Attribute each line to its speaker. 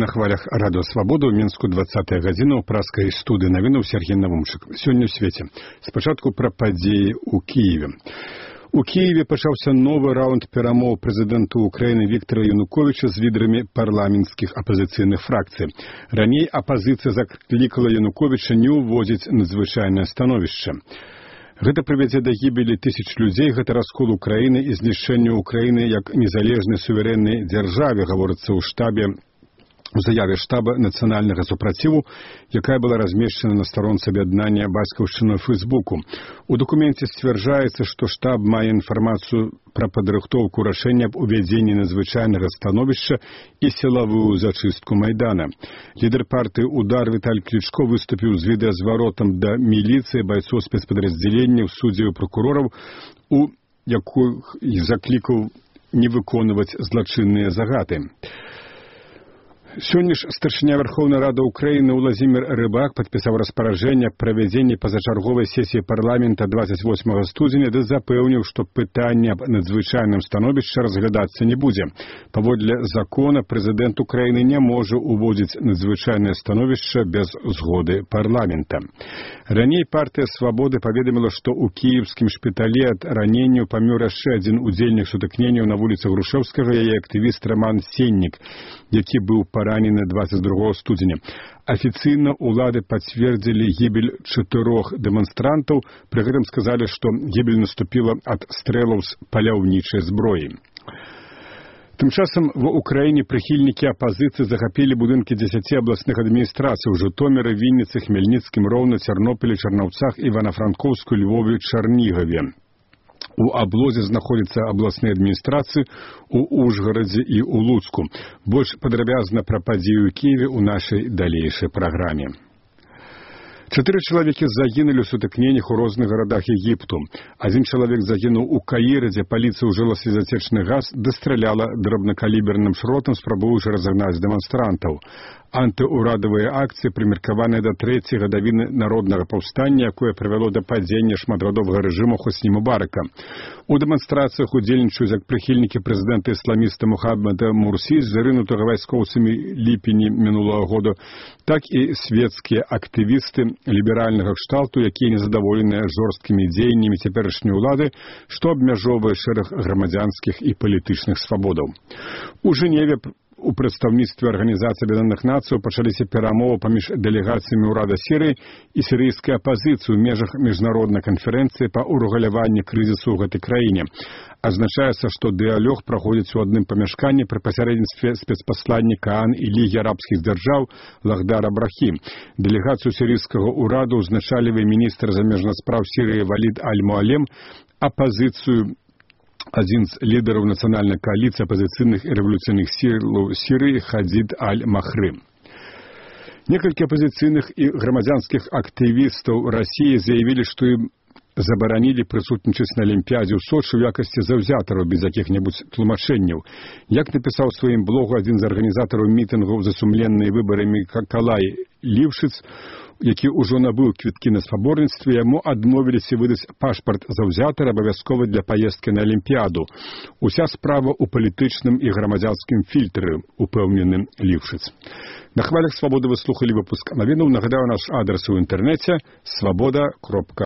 Speaker 1: На хвалях радыё Свабода ў Мінску 20-я гадзіна ў праскай студыі навінаў Сергей Навумчык. Сёння ў свеце. Спачатку пра падзеі ў Кіеве. У Киеве пачаўся новы раунд перамоў прэзідэнту Украіны Віктара Януковіча з лідарамі парламенцкіх апазіцыйных фракцый. Раней апазіцыя заклікала Януковіча не ўводзіць надзвычайнае становішча. Гэта прывядзе да гібелі тысяч людзей, гэта раскол Украіны і знішчэнне Украіны як незалежнай суверэннай дзяржаве, гаворыцца у заяве штаба нацыянальнага супраціву, якая была размешчана на старонцы аб'яднання бацькаўшчыны ў Фейсбуку. У дакуменце сцвярджаецца, што штаб мае інфармацыю пра падрыхтоўку рашэння аб увядзенні надзвычайнага становішча і сілавую зачыстку Майдана. Лідар партыі «Удар» Віталь Клічко выступіў з відэазваротам да міліцыі, байцоў спецпадраздзяленняў, суддзяў і пракурораў, у якіх заклікаў не выконваць злачынныя загады. Сёння ж старшыня Верховнай Рады Украіны Уладзімір Рыбак падпісаў распараджэнне аб правядзенні пазачарговай сесіі парламента 28 студзеня, ды запэўніў, што пытанне аб надзвычайным становішчы разглядацца не будзе. Паводле закона прэзідэнт Украіны не можа ўводзіць надзвычайнае становішча без згоды парламента. Раней партыя Свабоды паведаміла, што ў кіеўскім шпіталі ад раненняў памёр яшчэ адзін удзельнік сутыкненняў на вуліцы Грушэўскага, яе актывіст Роман Сеннік, які быў ранены 22 студзеня. Афіцыйна ўлады пацвердзілі гібель 4 дэманстрантаў, пры гэтым сказалі, што гібель наступіла ад стрэлаў з паляўнічай зброі. Тым часам ва Ўкраіне прыхільнікі апазіцыі захапілі будынкі 10 абласных адміністрацый у Жытоміры, Вінніцы, Хмельніцкім, Роўна, Цярнопілі, Чарнаўцах, Івана-Франкоўску, Львове, Чарнігаве. У аблозе знаходзяцца абласныя адміністрацыі ў Ужгарадзе і ў Луцку. Больш падрабязна пра падзею ў Кіеве ў нашай далейшай праграме. 4 чалавекі загінулі ў сутыкненнях у розных гарадах Егіпту. Адзін чалавек загінуў у Каіры, дзе паліцыя ўжыла слезацечны газ, дастраляла драбнакаліберным шротам, спрабуючы разагнаць дэманстрантаў. Антыўрадавыя акцыі прымеркаваныя да 3-й гадавіны народнага паўстання, якое прывяло да падзення шматгадовага рэжыму Хосні Мубарака. У дэманстрацыях удзельнічаюць як прыхільнікі прэзідэнта-ісламіста Мухаммада Мурсі, зарынутага вайскоўцамі ліпені мінулага года, так і свецкія актывісты ліберальнага кшталту, якія незадаволеныя жорсткімі дзеяннямі цяперашняй улады, што абмяжоўвае шэраг грамадзянскіх і палітычных свабодаў. У Жэневе у прадстаўніцтве Арганізацыі Аб'яднаных Нацыяў пачаліся перамовы паміж дэлегацыямі ўрада Сірыі і сірыйскай апазіцыі ў межах міжнароднай канферэнцыі па ўрэгуляванні крызісу ў гэтай краіне. Адзначаецца, што дыялог праходзіць у адным памяшканні пры пасярэдніцтве спецпасланніка ААН і Лігі арабскіх дзяржаў Лахдара Брахі. Дэлегацыю сірыйскага ўраду ўзначалівае міністр замежных спраў Сірыі Валід Аль-Муалем, апазіцыю адзін з лідараў нацыянальнай кааліцыі апазіцыйных і рэвалюцыйных сілаў Сірыі Хадзід Аль-Махры. Некалькі апазіцыйных і грамадзянскіх актывістаў Расіі заявілі, што ім забаранілі прысутнічаць на Алімпіядзе ў Сочы ў якасці заўзятараў без якіх-небудзь тлумачэнняў. Як напісаў у сваім блогу адзін з арганізатараў мітынгаў за сумленныя выбарамі Калай Лівшыц, які ўжо набыў квіткі на спаборніцтве, яму адмовіліся выдаць пашпарт заўзятара абавязкова для паездкі на Алімпіяду. Уся справа ў палітычным і грамадзянскім фільтры, упэўнены Лівшыц. На хвалях Свабоды вы слухалі выпуск навінаў. Нагадаю, наш адрес у інтэрнэце свабода.ру.